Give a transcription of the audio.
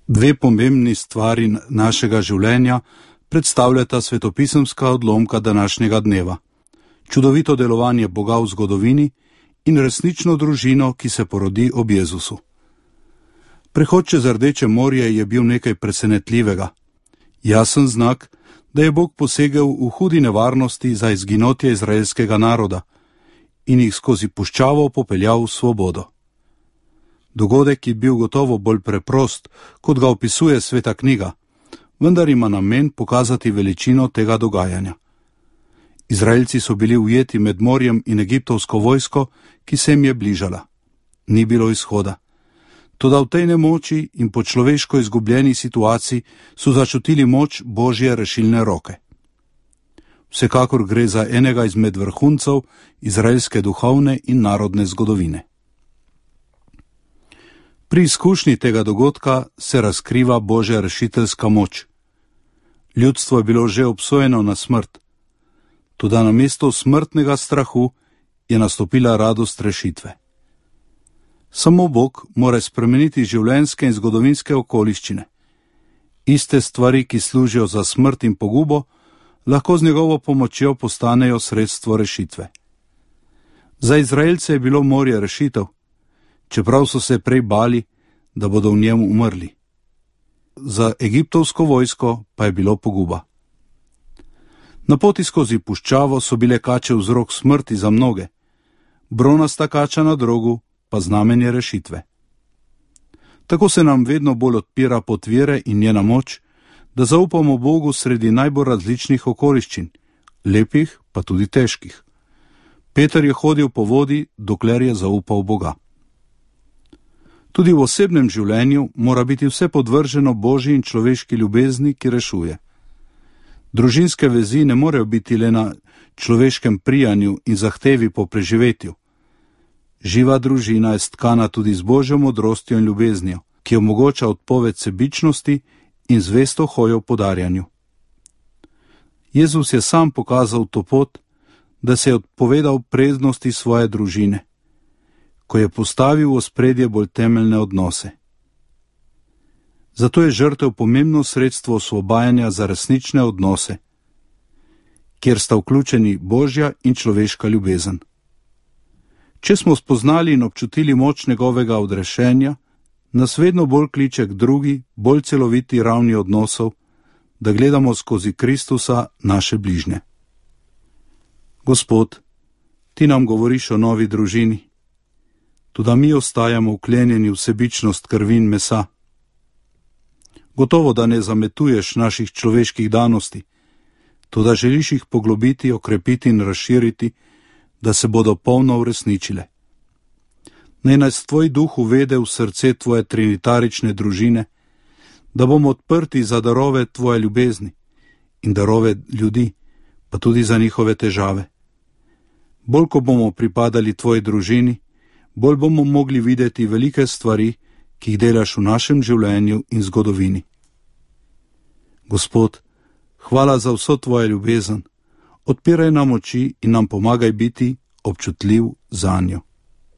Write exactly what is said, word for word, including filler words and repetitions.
Dve pomembni stvari našega življenja predstavljata svetopisemska odlomka današnjega dneva. Čudovito delovanje Boga v zgodovini in resnično družino, ki se porodi ob Jezusu. Prehod čez Rdeče morje je bil nekaj presenetljivega. Jasen znak, da je Bog posegel v hudi nevarnosti za izginotje izraelskega naroda in jih skozi puščavo popeljal v svobodo. Dogodek je bil gotovo bolj preprost, kot ga opisuje Sveta knjiga, vendar ima namen pokazati veličino tega dogajanja. Izraelci so bili ujeti med morjem in egiptovsko vojsko, ki se jim je bližala. Ni bilo izhoda. Toda v tej nemoči in po človeško izgubljeni situaciji so začutili moč Božje rešilne roke. Vsekakor gre za enega izmed vrhuncev izraelske duhovne in narodne zgodovine. Pri izkušnji tega dogodka se razkriva Božja rešiteljska moč. Ljudstvo je bilo že obsojeno na smrt, toda namesto smrtnega strahu je nastopila radost rešitve. Samo Bog mora spremeniti življenjske in zgodovinske okoliščine. Iste stvari, ki služijo za smrt in pogubo, lahko z njegovo pomočjo postanejo sredstvo rešitve. Za Izraelce je bilo morje rešitev, čeprav so se prej bali, da bodo v njem umrli. Za egiptovsko vojsko pa je bilo poguba. Na poti skozi puščavo so bile kače vzrok smrti za mnoge, bronasta kača na drogu pa znamenje rešitve. Tako se nam vedno bolj odpira pot vere in njena moč, da zaupamo Bogu sredi najbolj različnih okoliščin, lepih pa tudi težkih. Peter je hodil po vodi, dokler je zaupal Boga. Tudi v osebnem življenju mora biti vse podvrženo Božji in človeški ljubezni, ki rešuje. Družinske vezi ne morejo biti le na človeškem prijanju in zahtevi po preživetju. Živa družina je stkana tudi z Božjo modrostjo in ljubeznijo, ki omogoča odpoved sebičnosti in zvesto hojo po darjanju. Jezus je sam pokazal to pot, da se je odpovedal prednosti svoje družine, ko je postavil v ospredje bolj temeljne odnose. Zato je žrtev pomembno sredstvo osvobajanja za resnične odnose, kjer sta vključeni Božja in človeška ljubezen. Če smo spoznali in občutili moč njegovega odrešenja, nas vedno bolj kliče k drugi, bolj celoviti ravni odnosov, da gledamo skozi Kristusa naše bližnje. Gospod, ti nam govoriš o novi družini, toda mi ostajamo vklenjeni v sebičnost krvi in mesa. Gotovo, da ne zametuješ naših človeških danosti, toda želiš jih poglobiti, okrepiti in razširiti, da se bodo polno uresničile. Naj nas tvoj duh uvede v srce tvoje trinitarične družine, da bomo odprti za darove tvoje ljubezni in darove ljudi, pa tudi za njihove težave. Bolj ko bomo pripadali tvoji družini, bolj bomo mogli videti velike stvari, ki jih delaš v našem življenju in zgodovini. Gospod, hvala za vso tvojo ljubezen, odpiraj nam oči in nam pomagaj biti občutljiv zanjo.